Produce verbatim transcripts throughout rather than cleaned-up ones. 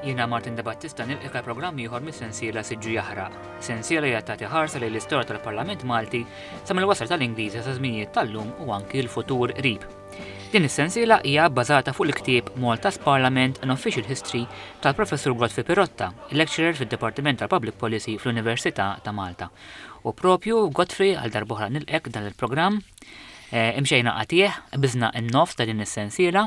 Jiena Martin De Battista nilqgħek għal programm ieħor mis-sensiela Siġġu Jaħraq. Sensiela li tagħti ħarsa lejn l-istorja tal-Parlament Malti sa mill-wasla tal-Ingliżi sa żminijiet tal-lum u anki l-futur qrib. Din is-sensiela hija bbażata fuq il-ktieb Malta's Parliament an Official History tal-Professur Godfrey Pirotta, lecturer fid-Dipartiment tal-Public Policy fl-Università ta' Malta. U propju Godfrey, għal darb'oħra nilqgħek dan il-programm. Eh, imxejna qatigħ, qbiżna n-nofs ta' din is-sensiela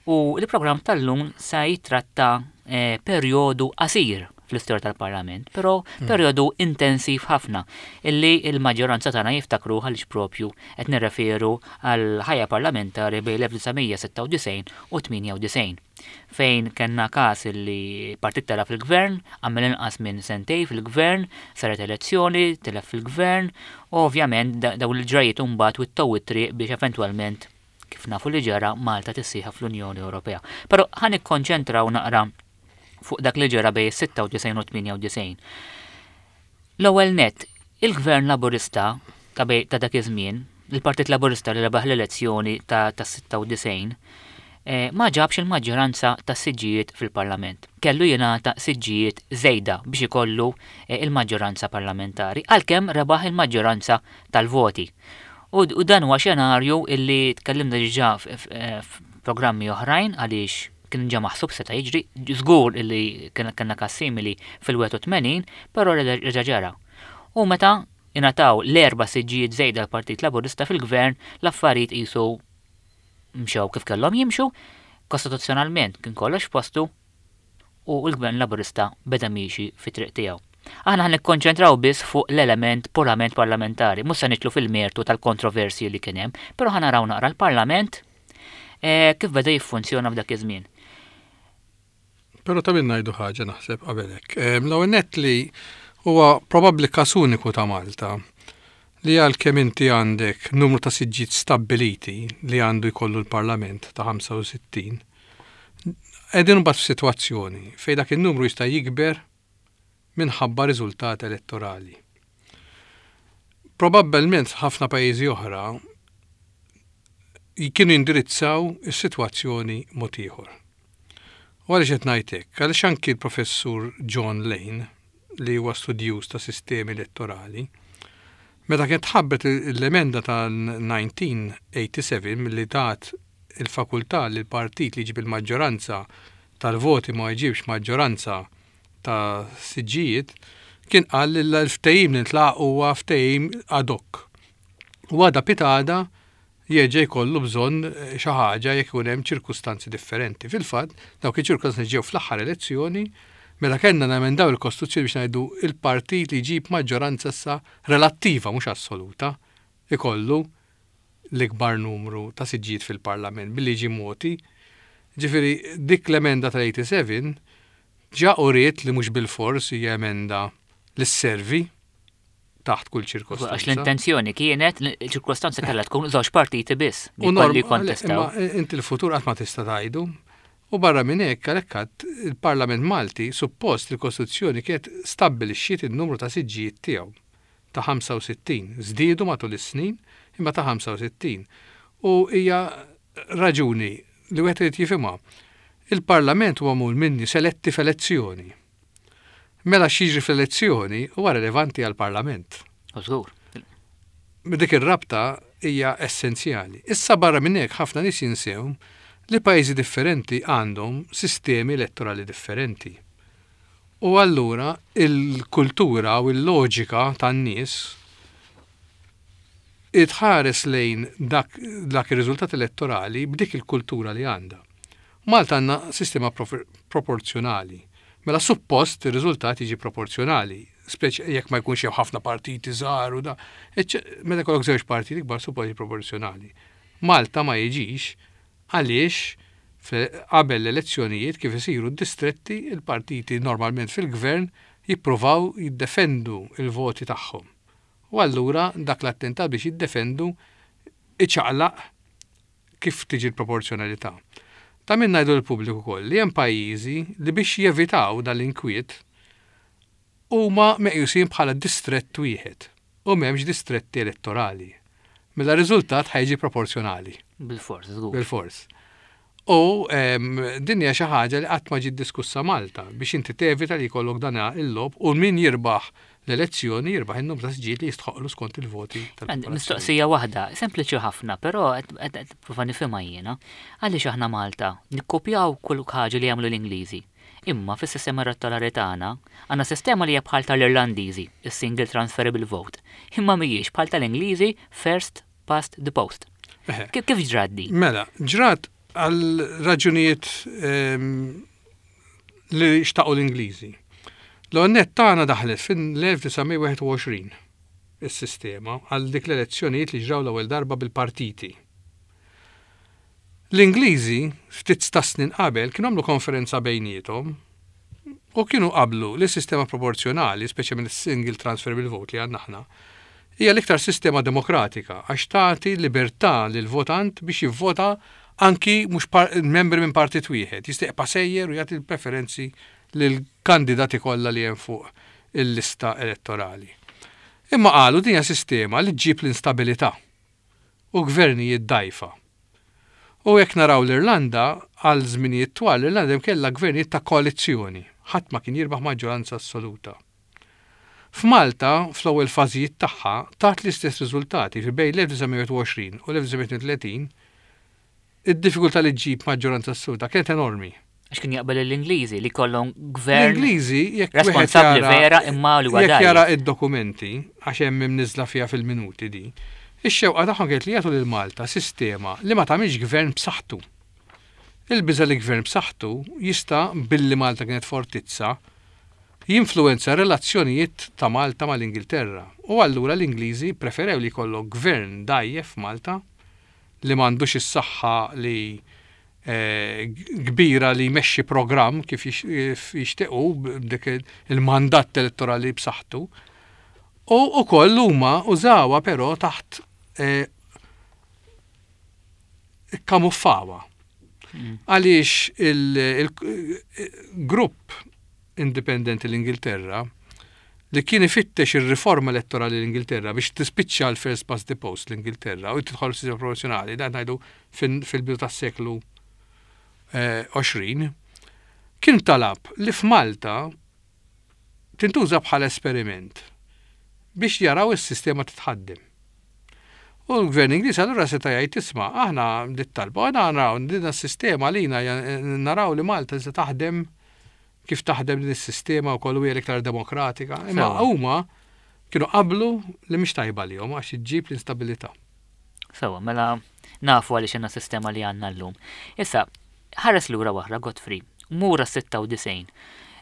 u il-programm tal-lum sa jitratta eh, perjodu qasir fl-istorja tal-Parlament, però mm. perjodu intensiv ħafna illi il-maġġoranza tagħna jiftakru, għaliex propju qed nirreferu għal ħajja parlamentari bejn l-elf disa' mija sitta u disgħin u tmienja u disgħin, fejn kellna każ illi partit tela' fil-gvern, għamel inqas minn sentej fil-gvern, saret elezzjoni, telef fil-gvern, u ovvjament dawn il-ġrajiet mbagħad wittew it-triq biex eventwalment, kif nafu li ġara, Malta tissieħeb fl-Unjoni Ewropea. Però ħa nikkonċentraw naqra fuq dak li ġara bejn sitta u disgħin u tmienja u disgħin. L-ewwel net, il-Gvern Laburista ta' ta' dak iż-żmien, il-Partit Laburista li rebaħ l-elezzjoni ta' sitta u disgħin, eh, ma ġabx il-maġġoranza ta' siġġijiet fil-Parlament. Kellu jingħata siġġijiet żejda biex ikollu eh, il-maġġoranza parlamentari, għalkemm rebaħ il-maġġoranza tal-voti. U, u dan huwa xenarju illi tkellimna diġà f'programmi oħrajn, għaliex kien ġa maħsub seta' jiġri, żgur illi kellna każ simili fil-wieħed u tmenin, però reġa' ġara. U meta ingħataw l-erba' siġġijiet żejda l-Partit Laburista fil-gvern, l-affarijiet qisu mxew kif kellhom jimxu, kostituzzjonalment kien kollox postu u l-Gvern Laburista beda miexi fit-triq tiegħu. Aħna ħa nikkonċentraw biss fuq l-element purament parlamentari, mhux se nidħlu fil-mertu tal-kontroversji li kien hemm, però ħa naraw naqra l-Parlament eh, kif beda jiffunzjona f'dak iż-żmien. Però ta' min ngħidu ħaġa, naħseb, qabel hekk. L-ewwel nett li huwa probabbli każ uniku ta' Malta li għalkemm inti għandek numru ta' siġġiet stabbiliti li għandu jkollu l-Parlament ta' ħamsa u sittin, qegħdin mbagħad f'sitwazzjoni fejn dak in-numru jista' jikber minħabba riżultat elettorali. Probabbilment ħafna pajjiżi oħra kienu jindirizzaw is-sitwazzjoni mod ieħor. U għaliex qed ngħid hekk? Għaliex anki l-Professur John Lane, li huwa studjuż ta' sistemi elettorali, meta kien tħabbret l-emenda tal-elf disa' mija tmienja u sebgħin li tat il-fakultà li l-partit li jġib il-maġġoranza tal-voti ma jġibx maġġoranza ta' siġġijiet, kien qal li l-ftehim li ntlaħaq huwa ftehim ad hoc. U għada pitgħada jerġa' jkollu bżonn xi ħaġa jekk ikun hemm ċirkustanzi differenti. Fil-fatt, dawk iċ-ċirkustanzi ġew fl-aħħar elezzjoni meta kellna namendaw il-Kostituzzjoni biex ngħidu il-partit li jġib maġġoranza issa relattiva, mhux assoluta, ikollu l-ikbar numru ta' siġġijiet fil-Parlament billi ġi moti. Ġifieri dik l-emenda tal-sebgħa u tmenin ġa uriet li mhux bil-fors hija emenda li sservi taħt kull ċirkostanza. Għax l-intenzjoni kienet, ċirkostanza kellha tkun żewġ partiti biss li kolli kontestaw. Inti l-futur qatt ma tista' tgħidu. U barra minn hekk, għalhekk il-Parlament Malti suppost il-Kostituzzjoni kienet stabbilixxiet il-numru ta' siġġijiet tiegħu ta' ħamsa u sittin. Żdiedu matul is-snin, imma ta' ħamsa u sittin. U hija raġuni li wieħed irid jifhimha. Il-Parlament huwa magħmul minn nies eletti f'elezzjoni. Mela x'jiġri fl-elezzjoni huwa relevanti għall-Parlament. Żgur. Dik ir-rabta hija essenzjali. Issa, barra minn hekk, ħafna nies jinsew li pajjiżi differenti għandhom sistemi elettorali differenti. U allura il-kultura u l-loġika tan-nies tħares lejn dak, dak ir-riżultat elettorali b'dik il-kultura li għandha. Malta għandna sistema proporzjonali. Mela suppost ir-riżultat jiġi proporzjonali, speċi jekk ma jkunx hemm ħafna partiti żgħar u da. Meta jkollok żewġ partiti kbar, suppost jiġi proporzjonali. Malta ma jiġix, għaliex qabel l-elezzjonijiet, kif isiru d-distretti, il-partiti normalment fil-gvern jippruvaw jiddefendu il-voti tagħhom. U allura dak l-attentat biex jiddefendu iċaqlaq kif tiġi l-proporzjonalità. Ta' min ngħidu l-pubbliku koll li hemm pajjiżi li biex jevitaw dal-inkwiet huma meqjusin bħala distrett wieħed u m'hemmx distretti elettorali. Mela riżultat ħa jiġi proporzjonali. Bil-fors, żgur. Bil-fors. U din hija xi ħaġa li qatt ma ġiet diskussa Malta biex inti tevita li jkollok dan il-logħob u min jirbaħ l-elezzjoni jirbaħ in-numru ta' siġġijiet li jistħoqlu skont il-voti tal. Mistoqsija waħda, sempliċi ħafna, però qed prova nifhimha jiena. Għaliex aħna Malta nikkopjaw kull ħaġa li jagħmlu l-Ingliżi? Imma fis-sistema elettorali tagħna għandna sistema li hija bħal tal-Irlandiżi, is-single transferable vote. Imma mhijiex bħal tal-Ingliżi, first past the post. Kif ġrat di? Mela, ġrat għal raġunijiet ehm, li xtaqu l-Ingliżi. L-għonnet tagħna daħlet fin-elf disa' mija u wieħed u għoxrin is-sistema għal dik l-elezzjonijiet li ġraw l-ewwel darba bil-partiti. L-Ingliżi ftit ta' snin qabel kienu għamlu konferenza bejniethom u kienu qablu li sistema proporzjonali, speċi minn single transferable vote li għandna aħna, hija l-iktar sistema demokratika għax tagħti libertà lil votant biex jivvota anki mhux membri minn partit wieħed, jista' jibqa' sejjer u jagħti l-preferenzi lill-kandidati kollha li hemm fuq il-lista elettorali. Imma qalu din hija sistema li ġġib l-instabilità u gvernijiet dgħajfa. U jekk naraw l-Irlanda, għal żminijiet twal l-Irlanda kellha gvernijiet ta' koalizzjoni, ħadd ma kien jirbaħ maġġoranza assoluta. F'Malta, fl-ewwel fażijiet tagħha, tat l-istess riżultati fi bejn l-elf disa' mija u għoxrin u l-elf disa' mija u tletin, id-diffikultà li ġġib maġġoranza assoluta kienet enormi. Għax kien jaqbel l-Ingliżi li kollhom gvern L-Ingliżi jekk responsabbli vera imma li jekk jara id-dokumenti, għax hemm imniżla fiha fil-minuti di, ix-xewqa tagħhom kienet li jagħtu lil Malta sistema li ma tagħmilx gvern b'saħħtu. Il-biża li gvern b'saħħtu jista', billi Malta kienet fortizza, jinfluenza relazzjonijiet ta' Malta mal-Ingilterra. U allura l-Ingliżi preferew li jkollok gvern dgħajjef Malta li m'għandux is-saħħa li eh, kbira li jmexxi programm kif jixtiequ b'dik il-mandat elettorali b'saħħtu. U ukoll huma użawha, però taħt eh, kamuffawa. Mm. Għaliex il-grupp indipendenti l-Ingilterra li kien ifittex ir-riforma elettorali l-Ingilterra biex tispiċċa l-first past the post l-Ingilterra u tidħol sistema proporzjonali, dan ngħidu fil-bidu tas-seklu għoxrin, eh, kien talab li f'Malta tintuża bħala esperiment biex jaraw is-sistema titħaddem. U l-gvern Ingliż allura seta' jgħid, "Isma', aħna dit talba, aħna naraw din is-sistema lina naraw li Malta se taħdem kif taħdem din is-sistema u kollu hija l-iktar demokratika." Imma huma kienu qablu li mhix tajba lihom għax iġġib l-instabilità. Sewa, mela nafu għaliex għandna sistema li għandna llum. Issa, ħares lura waħra, Godfrey, mura sitta u disgħin.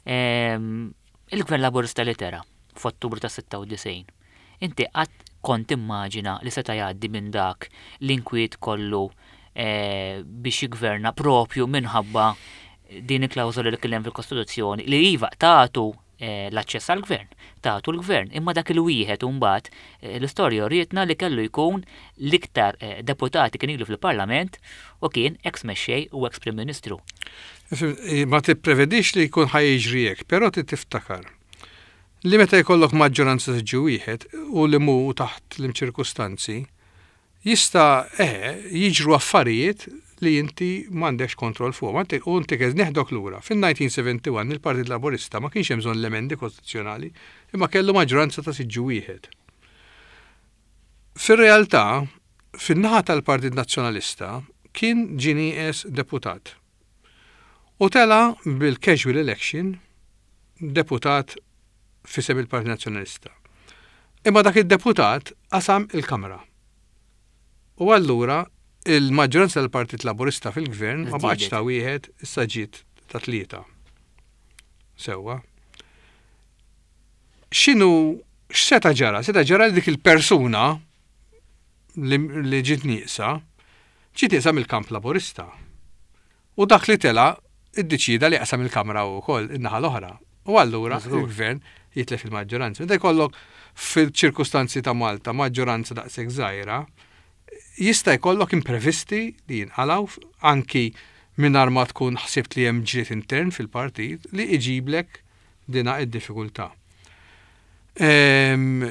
Il-Gvern Laburista li tela' f'Ottubru ta' sitta u disgħin. Inti qatt kont immaġina li seta' jgħaddi minn dak l-inkwiet kollu eh, biex jigverna propju minħabba din il-klawżola li kien hemm fil-Kostituzzjoni li iva tagħtu eh, l-aċċess għall-gvern, tagħtu l-gvern, imma dak il-wieħed mbagħad eh, l-istorja urietna li kellu jkun l-iktar deputati kien ilu fil-Parlament u kien ex mexxej u ex Prim Ministru? Ma tipprevedix li jkun ħa jiġri hekk, però tiftakar li meta jkollok maġġoranza siġġu wieħed u li mu taħt l-ċirkustanzi, jista' eh, jiġru affarijiet li inti m'għandekx kontroll fuq. U inti kez neħdok lura. Fin-elf disa' mija u wieħed u sebgħin il-Partit Laburista ma kienx hemm bżonn l-emendi kostituzzjonali, imma kellu maġġoranza ta' siġġu wieħed. Fir-realtà, fin-naħa tal-Partit Nazzjonalista kien ġie nieqes deputat. U tela' bil-casual election deputat f'isem il-Partit Nazzjonalista. Imma dak il-deputat qasam il-Kamra. U allura il-maġġoranza tal-Partit Laburista fil-gvern ma baqgħetx ta' wieħed, issa ġiet ta' tlieta. Sewwa. X'inhu x'seta' ġara? Seta' ġara li dik il-persuna li, li ġiet nieqsa, ġiet nieqsa mill-kamp Laburista. U dak li tela' iddeċida li qasam il-Kamra wkoll in-naħa l-oħra. U allura il-gvern jitlef il-maġġoranza. Meta jkollok fil-ċirkustanzi ta' Malta maġġoranza daqshekk żgħira, jista' jkollok imprevisti li jinqalaw anki mingħajr ma tkun ħsibt li hemm ġlied intern fil-partit li iġiblek dina id-diffikultà. Ehm,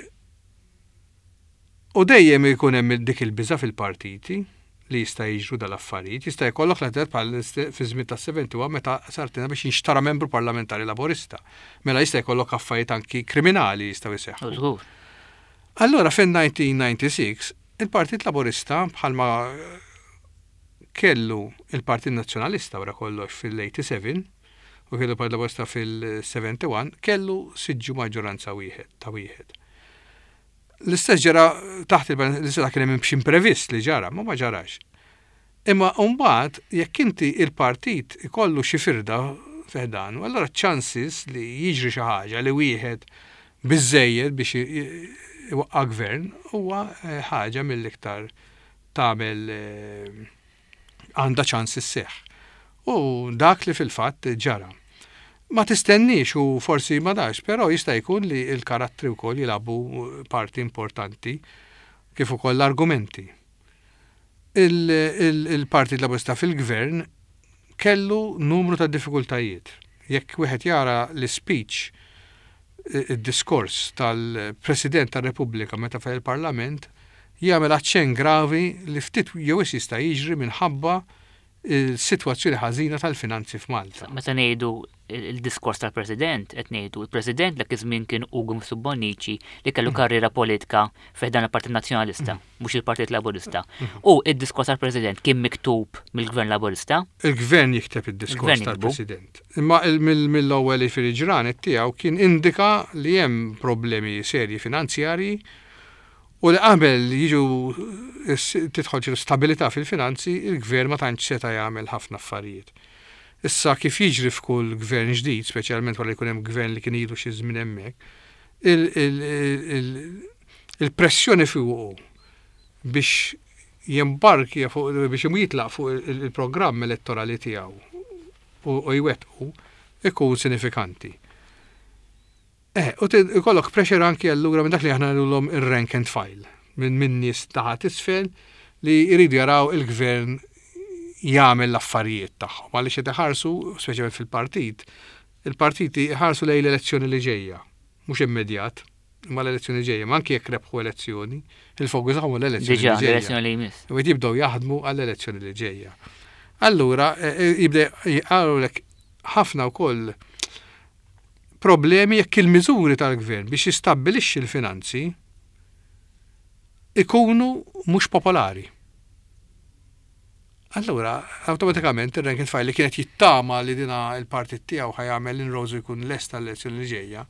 u dejjem ikun hemm dik il-biża fil-partiti li jista' jiġru dal-affarijiet. Jista' jkollok l bħal fi żmien tas-sebgħa u sebgħin meta sartina biex jinxtara membru parlamentari Laburista. Mela jista' jkollok affarijiet anki kriminali jistgħu jseħħu. Allura fin-elf disa' mija u disgħa u disgħin il-Partit Laburista, bħalma kellu il-Partit Nazzjonalista wara kollox fil-sebgħa u tmenin u kellu il-Partit Laburista fil-sebgħa u sebgħin, kellu siġġu maġġoranza wieħed ta' wieħed. L-istess ġara taħt il-, l-istess kien hemm xi imprevist li ġara, ma ma ġarax. Imma mbagħad jekk inti il-partit ikollu xi firda fi ħdanu, allora chances li jiġri xi ħaġa li wieħed biżejjed biex iwaqqa' gvern huwa eh, ħaġa mill-iktar tagħmel, eh, għandha ċans isseħħ. U dak li fil-fatt ġara. Ma tistennix u forsi ma dax, però jista' jkun li l-karattri wkoll jilagħbu parti importanti, kif ukoll l-argumenti. Il-Partit Laburista fil-gvern kellu numru ta' diffikultajiet. Jekk wieħed jara l-speech, id-diskors tal-President tar-Repubblika meta fil-Parlament, jagħmel aċċenn gravi li ftit jew jista' jiġri minħabba il-sitwazzjoni ħażina tal-finanzi f'Malta. Meta ngħidu il-diskors tal-President, qed ngħidu il-President dak iż-żmien kien Ugo Bonnici, li kellu mm. karriera politika fi ħdan il-Partit Nazzjonalista, mm. mhux il-Partit Laburista. Mm. U id-diskors tal-President kien miktub mill-Gvern Laburista. Il-Gvern jikteb id-diskors tal-President. Imma mill-ewwel fil-ġranet tiegħu kien indika li hemm problemi serji finanzjarji u li qabel jiġu tidħol ċertu stabilità fil-finanzi, il-gvern ma tantx seta' jagħmel ħafna affarijiet. Issa, kif jiġri f'kull gvern ġdid, speċjalment wara jkun hemm gvern li kien ilu xi żmien hemmhekk, il-pressjoni fuqu biex jembarki fuq, biex jitlaq fuq il-programm elettorali tiegħu u jwettqu ikun sinifikanti. Eh, u ikollok pressure anki allura minn dak li aħna ngħidulhom ir-rank and file, minn min nies taħt isfel li jridu jaraw il-gvern jagħmel l-affarijiet tagħhom. Għaliex qed iħarsu, speċjalment fil-partit, il-partiti iħarsu lejn l-elezzjoni li ġejja, mhux immedjat, imma l-elezzjoni ġejja, ma anki jekk rebħu elezzjoni, il-fokus tagħhom l-elezzjoni li ġejja. L-elezzjoni li jmiss. U jibdew jaħdmu għall-elezzjoni li ġejja. Allura, e, e, jibda jgħarulek ħafna wkoll problemi jekk il-miżuri tal-gvern biex jistabbilixxi l-finanzi ikunu mhux popolari. Allura, automatikament ir-rank and file li kienet jittama li dina il-partit tiegħu ħa jagħmel inroads u jkun lest tal-elezzjoni li ġejja,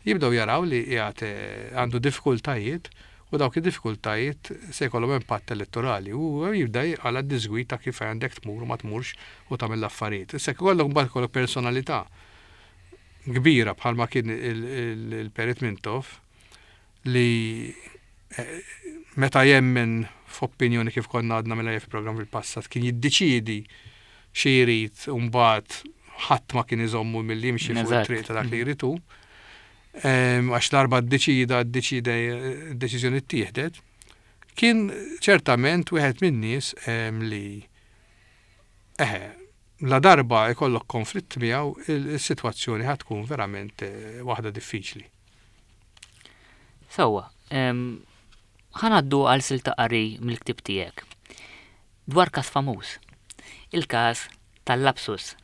jibdew jaraw li qiegħed eh, għandu diffikultajiet u dawk id-diffikultajiet se jkollhom impatt elettorali u jibda għala disgwid ta' kif għandek tmur u ma tmurx u tagħmel l-affarijiet. Issa jkollok mbagħad kollok personalità kbira bħalma kien il-Perit Mintoff li eh, meta jemmen f'opinjoni, kif konna għadna mela fil-programm fil-passat, kien jiddeċidi xi jrid u mbagħad ħadd ma kien iżommu milli jimxi fuq it-triq ta' dak li jrid hu. Għax darba ddeċida, ddeċida, deċiżjoni ttieħdet, kien ċertament wieħed min-nies li eħe, la darba jkollok konflitt miegħu, il-sitwazzjoni ħa tkun verament eh, waħda diffiċli. Sewwa, ħa ngħaddu għal silta qari mill-ktib tiegħek. Dwar każ famuż. Il-każ tal-lapsus.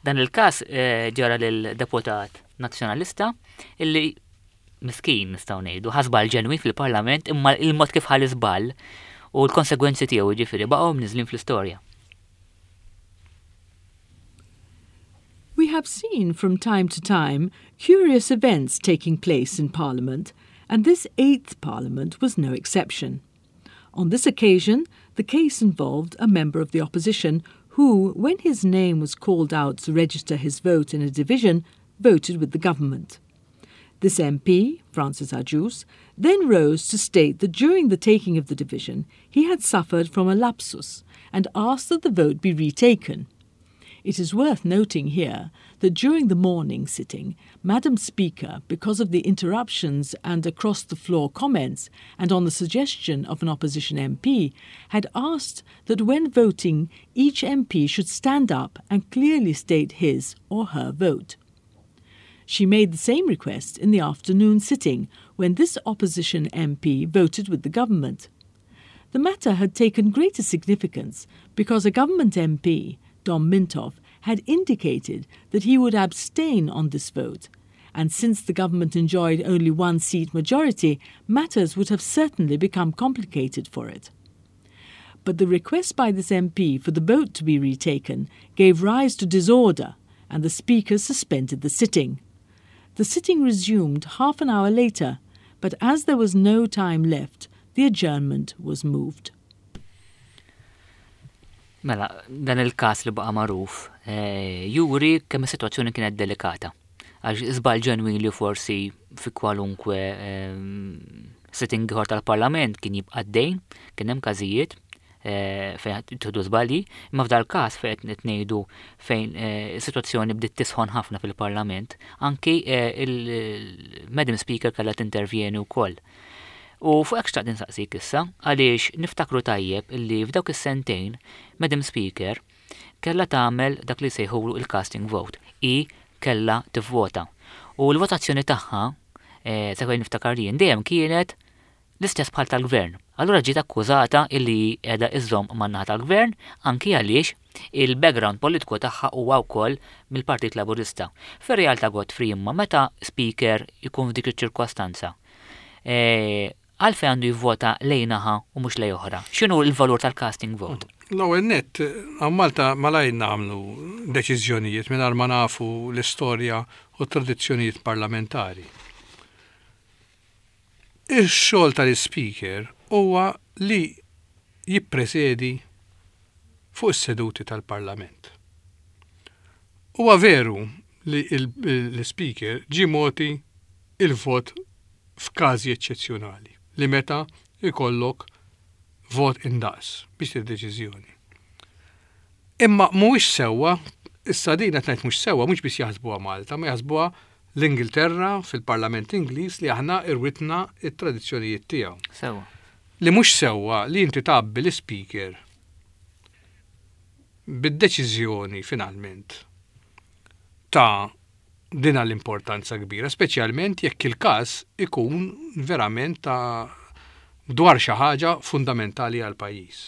Dan il-każ eh, ġara lil deputat nazzjonalista illi miskin, nistgħu ngħidu, ħa żball ġenwin fil-Parlament, imma il-mod kif ħa l-iżball u l-konsegwenzi tiegħu ġifieri baqgħu mniżlin fl-istorja. We have seen from time to time curious events taking place in Parliament, and this eighth Parliament was no exception. On this occasion, the case involved a member of the opposition who, when his name was called out to register his vote in a division, voted with the government. This M P, Francis Agius, then rose to state that during the taking of the division he had suffered from a lapsus and asked that the vote be retaken. It is worth noting here that during the morning sitting, Madam Speaker, because of the interruptions and across the floor comments, and on the suggestion of an opposition M P, had asked that when voting, each M P should stand up and clearly state his or her vote. She made the same request in the afternoon sitting when this opposition M P voted with the government. The matter had taken greater significance because a government M P, Dom Mintoff, had indicated that he would abstain on this vote, and since the government enjoyed only one seat majority, matters would have certainly become complicated for it. But the request by this M P for the vote to be retaken gave rise to disorder, and the Speaker suspended the sitting. The sitting resumed half an hour later, but as there was no time left, the adjournment was moved. Mela, dan il-kas li baqa magħruf eh, juri kemm is-sitwazzjoni kienet delikata. Għax żball ġenwin li forsi fi kwalunkwe eh, sitting ieħor tal-Parlament kien jibqa' dejn, kien hemm każijiet eh, fejn tieħdu żbalji, imma f'dal każ fejn qed ngħidu fejn is-sitwazzjoni bdiet tisħon ħafna fil-Parlament, anki il-Madam Speaker kellha tintervjeni wkoll. U fuq hekk xtaqt insaqsik issa, għaliex niftakru tajjeb illi f'dawk is-sentejn Madam Speaker kellha tagħmel dak li sejħulu il-casting vote. I kellha tivvota. U l-votazzjoni tagħha, eh, sa niftakar jien, dejjem kienet l-istess bħal tal-gvern. Allura ġiet akkużata illi qiegħda iżżomm man-naħa tal-gvern, anki għaliex il-background politiku tagħha huwa wkoll mill-Partit Laburista. Fir-realtà, Godfrey, imma meta speaker ikun f'dik iċ-ċirkostanza, eh, għalfejn għandu jivvota lejn naħa u mhux lejn oħra? X'inhu l-valur tal-casting vote? L-ewwel nett, hawn Malta malajr nagħmlu deċiżjonijiet mingħajr ma nafu l-istorja u t-tradizzjonijiet parlamentari. Ix-xogħol tal-speaker huwa li jippresedi fuq is-seduti tal-Parlament. Huwa veru li l-speaker ġi mogħti il-vot f'każi eċċezzjonali li meta ikollok vot indaqs biex deċiżjoni. Imma mhuwiex sewwa, issa din qed ngħid mhux sewwa, mhux biss jaħsbuha Malta, ma jaħsbuha l-Ingilterra fil-Parlament Ingliż li aħna irwitna it-tradizzjonijiet tiegħu. Sewwa. Li mhux sewwa li inti tgħabbi l-speaker bid-deċiżjoni finalment ta' din l-importanza kbira, speċjalment jekk il-każ ikun verament ta' dwar xi ħaġa fundamentali għal pajjiż.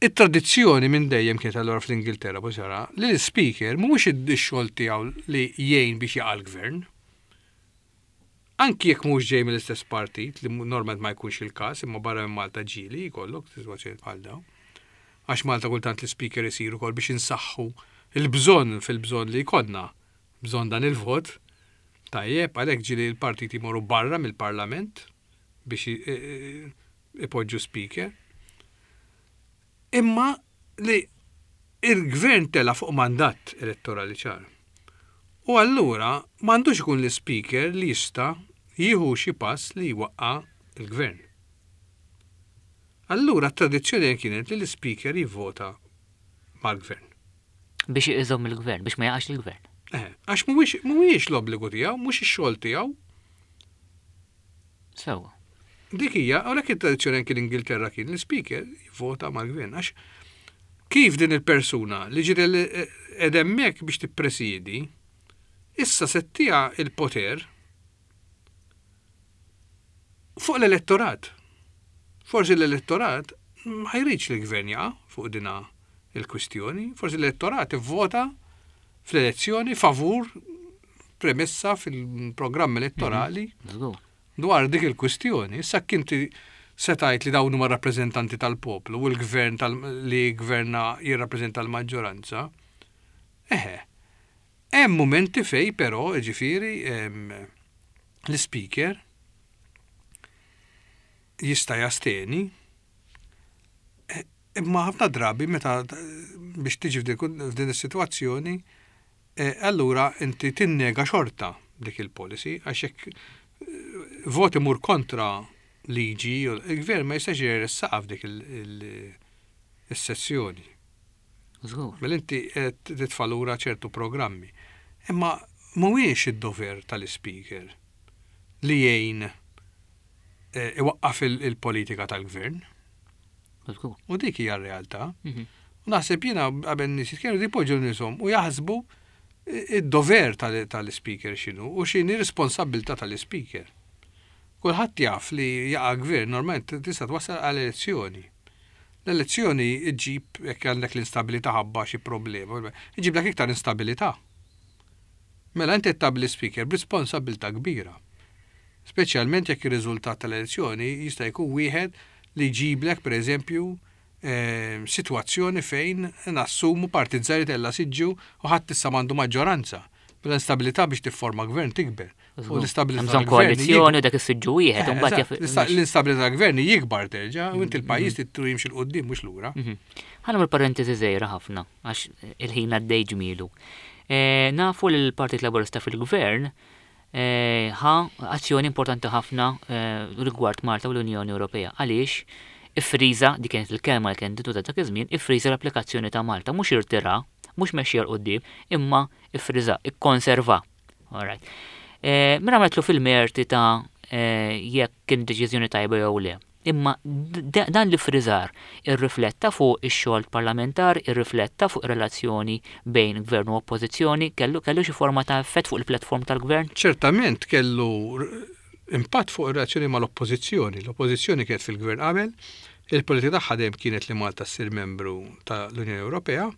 It-tradizzjoni minn dejjem kienet allura fl-Ingilterra bosara li l-speaker mhuwiex id-xogħol tiegħu li jgħin biex jaqa' l-gvern. Anki jekk mhux ġej mill-istess partit, li normalment ma jkunx il-każ, imma barra minn Malta ġieli jkollok sitwazzjoni bħal dawn. Għax Malta kultant l-speaker isir ukoll biex insaħħu il-bżonn fil-bżonn li jkollna bżonn dan il-vot. Tajjeb, għalhekk ġieli l-partiti jmorru barra mill-parlament biex ipoġġu speaker. Imma li il-gvern tela fuq mandat elettorali ċar. U allura m'għandux ikun l-speaker li jista' jieħu xi pass li jwaqqa il-gvern. Allura t-tradizzjoni kienet li l-speaker jivvota mal-gvern. Biex iżomm il-gvern, biex ma jaqax il-gvern. Eh, għax mhuwiex l-obbligu tiegħu, mhux ix-xogħol tiegħu. Sewwa. Dik hija, għalhekk it-tradizzjoni anke l-Ingilterra kien l-speaker jivvota mal-gvern. Għax kif din il-persuna li ġiet hemmhekk biex tippresidi, issa se ttiha il-poter fuq l-elettorat. Forsi l-elettorat ma jridx li gvern jaqa' fuq dina il-kwistjoni, forsi l-elettorat ivvota fl-elezzjoni favur premessa fil-programm elettorali Żgur. dwar dik il-kwistjoni. Issa kinti setajt li dawn huma rappreżentanti tal-poplu u l-gvern tal li gverna jirrappreżenta l-maġġoranza. Eħe, hemm momenti fej però, ġifieri, em, l-speaker jista' jasteni, eh, imma ħafna drabi meta biex tiġi f'din f'din is-sitwazzjoni, eh, allura inti tinnega xorta dik il-policy, għax jekk eh, vot imur kontra liġi, il-gvern ma jistax jressaqha f'dik il-sessjoni. Żgur. Mela inti qed titfa' lura ċertu programmi. Imma mhuwiex id-dover tal-speaker li jgħin eh, iwaqqaf il-politika tal-gvern. Żgur. U dik hija r-realtà. Mhm. U naħseb jiena qabel nies jitkellmu jipoġġu nieshom u jaħsbu id-dover tal-speaker x'inhu u x'inhi responsabilità tal-speaker. Kulħadd jaf li jaqa' gvern normalment tista' twassal għal elezzjoni. L-elezzjoni iġġib, jekk għandek l-instabilità ħabba xi problema, iġib dak iktar instabilità. Mela inti tagħmel speaker b'responsabilità kbira. Speċjalment jekk ir-riżultat tal-elezzjoni jista' jkun wieħed li jġiblek, pereżempju, eh, sitwazzjoni fejn nassumu partit żgħir tella' siġġu u ħadd issa m'għandu maġġoranza. Mela l-instabilità biex tifforma gvern tikber. U l-instabilità Bżonn koalizzjoni, dak is-siġġu wieħed, u mbagħad jaf. L-instabilità tal-gvern jikbar terġa' u inti l-pajjiż trid jimxi 'l quddiem, mhux lura. Mhm. Ħa nagħmel parentesi żgħira ħafna għax il-ħin għaddej ġmielu. Eh, nafu li l-Partit Laburista fil-Gvern eh, ħa azzjoni importanti ħafna eh, rigward Malta u l-Unjoni Ewropea. Għaliex iffriża, dik kienet il-kelma li kienet tintuża dak iż-żmien, iffriża l-applikazzjoni ta' Malta, mhux irtira, mhux mexxija 'l quddiem, imma iffriża, ikkonserva. Alright. Mela għamletlu fil-merti ta' jekk kien deċiżjoni tajba jew le. Imma dan l-iffriżar irrifletta fuq ix-xogħol parlamentar, irrifletta fuq relazzjoni bejn gvern u oppożizzjoni, kellu kellu xi forma ta' effett fuq il-platform tal-gvern? Ċertament kellu impatt fuq ir-relazzjoni mal-oppożizzjoni. L-oppożizzjoni kienet fil-gvern qabel, il-politika tagħha dejjem kienet li Malta ssir membru tal-Unjoni Ewropea,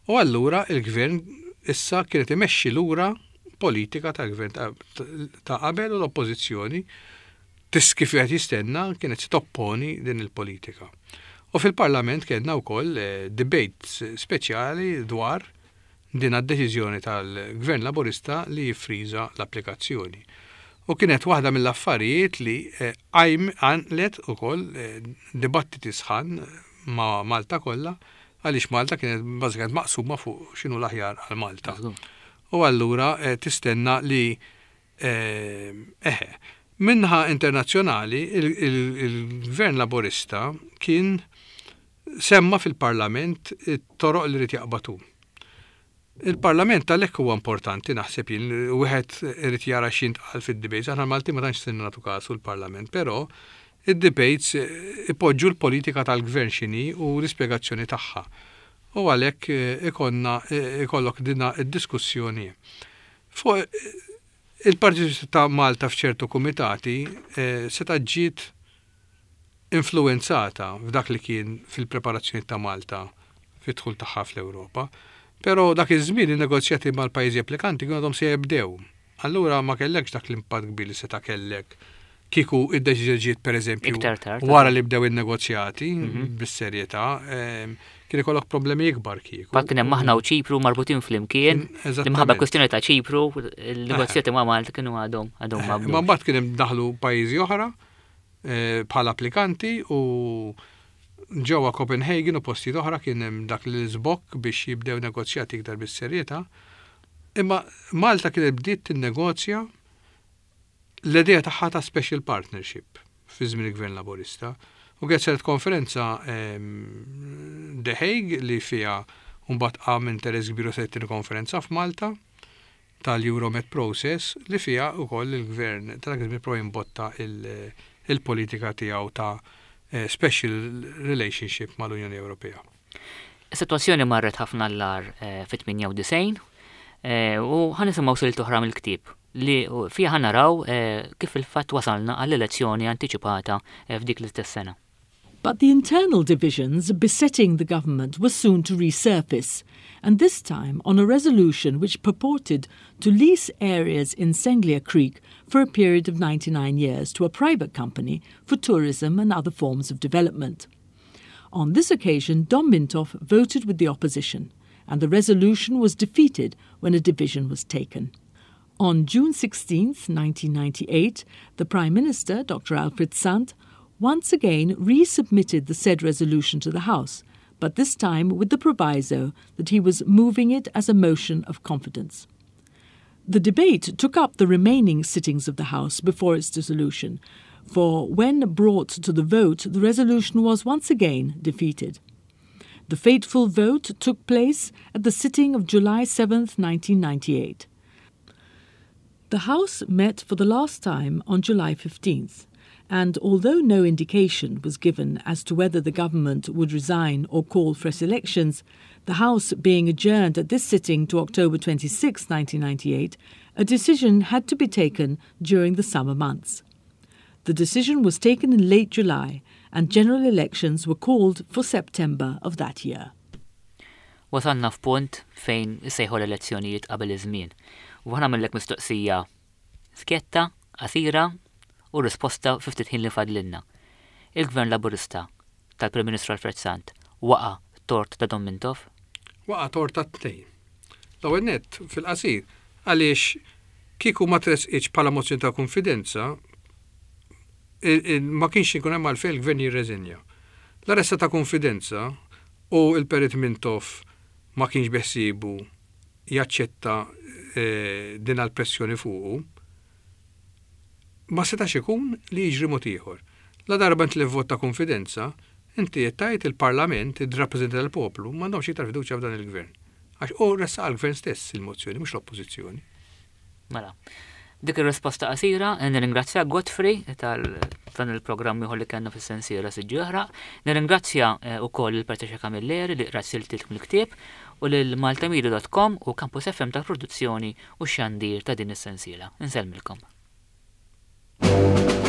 u allura il-gvern issa kienet imexxi lura politika tal-gvern ta' qabel u l-oppożizzjoni tis kif qed jistenna kienet se topponi din il-politika. U fil-Parlament kellna wkoll eh, debates speċjali dwar din għad-deċiżjoni tal-Gvern Laburista li jiffriża l-applikazzjoni. U kienet waħda mill-affarijiet li eh, qajm għanqlet ukoll eh, dibattiti sħan ma' Malta kollha, għaliex Malta kienet bażikament maqsuma fuq x'inhu l-aħjar għal Malta. U allura eh, tistenna li eħe, min-naħa internazzjonali il-Gvern Laburista kien semma fil-Parlament it-toroq li rrid jaqbatu. Il-Parlament għalhekk huwa importanti, naħseb jien, wieħed irid jara x'jintqal fid-debates. Aħna Malti ma tantx sinna nagħtu kasu l-Parlament, però id-debates ipoġġu l-politika tal-gvern x'inhi u l-ispjegazzjoni tagħha. U għalhekk ikollna ikollok dina id-diskussjoni. Fuq il-Partit ta' Malta f'ċertu kumitati seta' ġiet influenzata f'dak li kien fil-preparazzjoni ta' Malta fit-dħul tagħha fl-Ewropa. Però dak iż-żmien in-negozjati mal-pajjiżi applikanti kienu għadhom se jibdew. Allura ma kellekx dak l-impatt kbir li seta' kellek kieku id-deċiżjoni ġiet, pereżempju, wara li bdew in-negozjati mhm. bis-serjetà, kien ikollok problemi ikbar kieku. Fatt kien hemm aħna u Ċipru marbutin flimkien. Imħabba kwestjoni ta' Ċipru, il-negozjati ma' Malta kienu għadhom għadhom ma. Ma mbagħad kien hemm daħlu pajjiżi oħra eh, bħala applikanti u ġewwa Copenhagen u postijiet oħra kien hemm dak l-iżbokk biex jibdew negozjati iktar bis-serjetà. Imma Malta kienet bdiet tinnegozja l-idea tagħha ta' special partnership fi żmien il-Gvern Laburista. U kienet saret konferenza The Hague li fiha mbagħad qam interess kbir u saret konferenza f'Malta tal-Euromed Process li fiha wkoll il-gvern tal-gvern pro jimbotta il-politika tiegħu ta' eh, special relationship mal-Unjoni Ewropea. Is-sitwazzjoni marret ħafna l-agħar eh, fit-tmienja u disgħin eh, u ħa nisimgħu silta oħra mill-ktieb li fiha ħa naraw kif il-fatt wasalna għall-elezzjoni antiċipata f'dik l-istess sena. But the internal divisions besetting the government were soon to resurface, and this time on a resolution which purported to lease areas in Senglea Creek for a period of ninety-nine years to a private company for tourism and other forms of development. On this occasion, Dom Mintoff voted with the opposition, and the resolution was defeated when a division was taken. On June sixteenth, nineteen ninety-eight, the Prime Minister, Doctor Alfred Sant, once again resubmitted the said resolution to the House, but this time with the proviso that he was moving it as a motion of confidence. The debate took up the remaining sittings of the House before its dissolution, for when brought to the vote, the resolution was once again defeated. The fateful vote took place at the sitting of July seventh, nineteen ninety-eight. The House met for the last time on July fifteenth, and although no indication was given as to whether the government would resign or call fresh elections, the House being adjourned at this sitting to October twenty-sixth, nineteen ninety-eight, a decision had to be taken during the summer months. The decision was taken in late July and general elections were called for September of that year. Wasalna f'punt fejn issejħu l-elezzjonijiet qabel iż-żmien. U ħa nagħmillek mistoqsija skjetta, qasira u risposta fi ftit ħin li fadlilna. Il-Gvern Laburista tal-Prim Ministru Alfred Sant waqa' tort ta' Dom Mintoff? Waqa' tort ta' tnejn. L-ewwel nett fil-qasir għaliex kieku ma tressqitx bħala mozzjoni ta' konfidenza ma kienx ikun hemm għalfejn il-gvern jirreżenja. La ressaq ta' konfidenza u il-Perit Mintoff ma kienx beħsiebu jaċċetta eh, din għal-pressjoni fuqu, ma setax ikun li jiġri mod ieħor. La darba inti vot ta' konfidenza, inti qed tgħid il-Parlament, id-rappreżentanti tal-poplu, m'għandhomx iktar fiduċja f'dan il-gvern. Għax u ressaq għal-gvern stess il-mozzjoni, mhux l-oppożizzjoni. Mela. Dik ir-risposta qasira, nirringrazzja Godfrey tal dan il-programm ieħor li kellna fis-sensiela Siġġu Jaħraq. Nirringrazzja eh, ukoll il Patricia Camilleri li qrat siltiet mill-ktieb u lil maltamedia dot com u Campus F M tal-produzzjoni u xandir ta' din is-sensiela. Insellmilkom. Thank you.